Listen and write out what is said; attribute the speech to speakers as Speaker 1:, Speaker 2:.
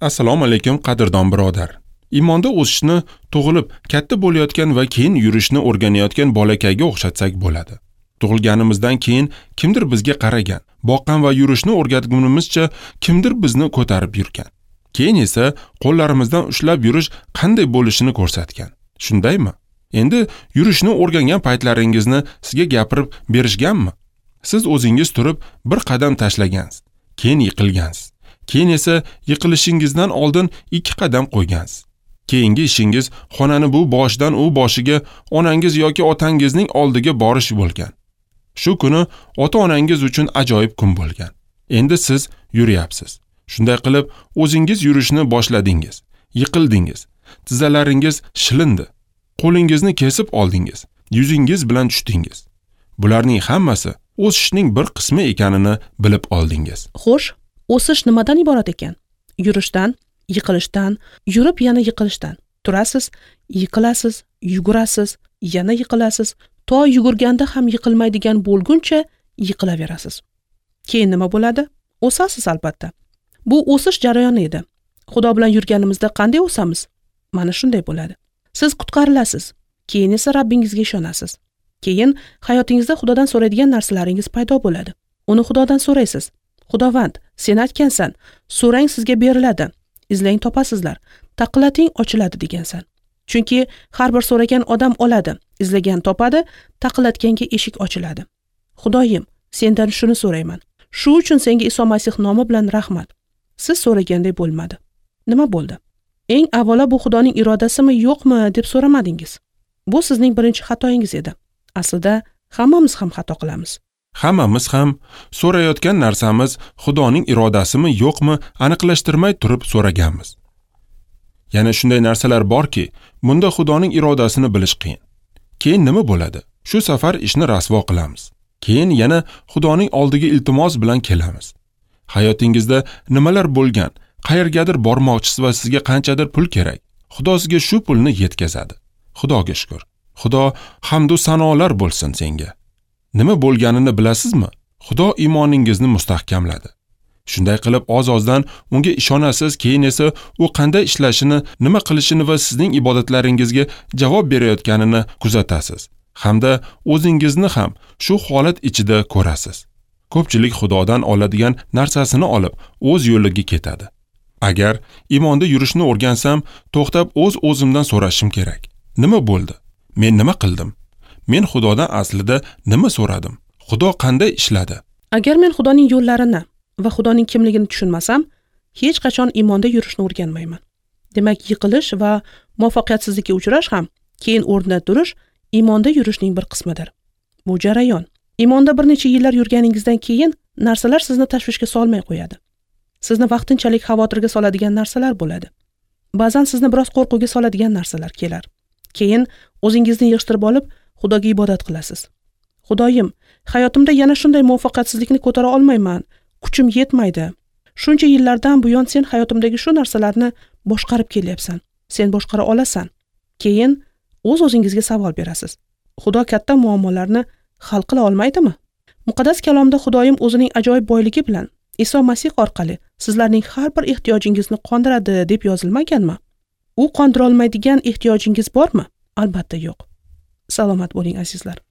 Speaker 1: Assalomu alaykum, qadrdon birodar. Iymonda o'sishni tug'ilib, katta bo'layotgan va keyin yurishni o'rganayotgan bolakayga o'xshatsak bo'ladi. Tug'ilganimizdan keyin kimdir bizga qaragan, boqqan va yurishni o'rgatgunimizcha kimdir bizni ko'tarib yurgan. Keyin esa qo'llarimizdan ushlab yurish qanday bo'lishini ko'rsatgan. Shundaymi? Endi yurishni o'rgangan paytlaringizni sizga gapirib berishganmi? Siz o'zingiz turib bir qadam tashlagansiz, keyin yiqilgansiz. Keyin esa yiqilishingizdan oldin 2 qadam qo'ygansiz. Keyingi ishingiz xonani bu boshidan u boshiga onangiz yoki otangizning oldiga borish bo'lgan. Shu kuni ota-onangiz uchun ajoyib kun bo'lgan. Endi siz yuryapsiz. Shunday qilib o'zingiz yurishni boshladingiz. Yiqildingiz. Tizzalaringiz shilindi. Qo'lingizni kesib oldingiz. Yuzingiz bilan tushdingiz. Bularning hammasi o'sishning bir qismi ekanini bilib oldingiz.
Speaker 2: Xo'sh, o'sish nimadan iborat ekan? Yurishdan, yiqilishdan, yurib yana yiqilishdan. Turasiz, yiqilasiz, yugurasiz, yana yiqilasiz, to yugurganda ham yiqilmaydigan bo'lguncha yiqilaverasiz. Keyin nima bo'ladi? O'sasiz albatta. Bu o'sish jarayoni edi. Xudo bilan yurganimizda qanday o'samiz? Mana shunday bo'ladi. Siz qutqarilasiz, keyin esa Rabbingizga ishonasiz. Keyin hayotingizda Xudodan so'raydigan narsalaringiz paydo bo'ladi. Uni Xudodan so'raysiz. Xudovand, sen aytgansan, so'rang sizga beriladi, izlang topasizlar, taqillating ochiladi degansan. Chunki har bir so'ragan odam oladi, izlagan topadi, taqillatganga eshik ochiladi. Xudoyim, sendan shuni so'rayman. Shu uchun senga Iso Masih nomi bilan rahmat. Siz so'raganday bo'lmadi. Nima bo'ldi? Eng avvalo bu Xudoning irodasimi yo'qmi deb so'ramadingiz. Bu sizning birinchi xatoyingiz edi. Aslida hammamiz ham xato qilamiz.
Speaker 1: Hammamiz ham so'rayotgan narsamiz Xudoning irodasimi yo'qmi aniqlashtirmay turib so'raganmiz. Yana shunday narsalar borki, bunda Xudoning irodasini bilish qiyin. Keyin nima bo'ladi? Shu safar ishni rasvo qilamiz. Keyin yana Xudoning oldiga iltimos bilan kelamiz. Hayotingizda nimalar bo'lgan, qayergadir bormoqchisiz va sizga qanchadir pul kerak. Xudo sizga shu pulni yetkazadi. Xudoga shukr. Xudo hamd va sanolar bo'lsin senga. Nima bo'lganini bilasizmi? Xudo iymoningizni mustahkamladi. Shunday qilib oz-ozdan unga ishonasiz, keyin esa u qanday ishlashini, nima qilishini va sizning ibodatlaringizga javob berayotganini kuzatasiz. Hamda o'zingizni ham shu holat ichida ko'rasiz. Ko'pchilik Xudodan oladigan narsasini olib, o'z yo'liga ketadi. Agar iymonda yurishni o'rgansam, to'xtab o'z-o'zimdan so'rashim kerak. Nima bo'ldi? Men nima qildim? Men Xudodan aslida nima so'radim? Xudo qanday ishladi?
Speaker 2: Agar men Xudoning yo'llarini va Xudoning kimligini tushunmasam, hech qachon iymonda yurishni o'rganmayman. Demak, yiqilish va muvaffaqiyatsizlikka uchrash ham, keyin o'rnidan turish iymonda yurishning bir qismidir. Bu jarayon. Iymonda bir necha yillar yurganingizdan keyin narsalar sizni tashvishga solmay qo'yadi. Sizni vaqtinchalik xavotirga soladigan narsalar bo'ladi. Ba'zan sizni biroz qo'rquvga soladigan narsalar kelar. Keyin o'zingizni yig'ishtirib olib, Xudoga ibodat qilasiz. Xudoyim, hayotimda yana shunday muvaffaqiyatsizlikni ko'tara olmayman, kuchim yetmaydi. Shuncha yillardan buyon sen hayotimdagi shu narsalarni boshqarib kelyapsan. Sen boshqara olasan. Keyin o'z-o'zingizga savol berasiz. Xudo katta muammolarni hal qila olmaydimi? Muqaddas kalomda Xudoyim o'zining ajoyib boyligi bilan Iso Masih orqali sizlarning har bir ehtiyojingizni qondiradi deb yozilmaganmi? U qondira olmaydigan ehtiyojingiz bormi? Albatta yo'q. Salomat bo'ling azizlar.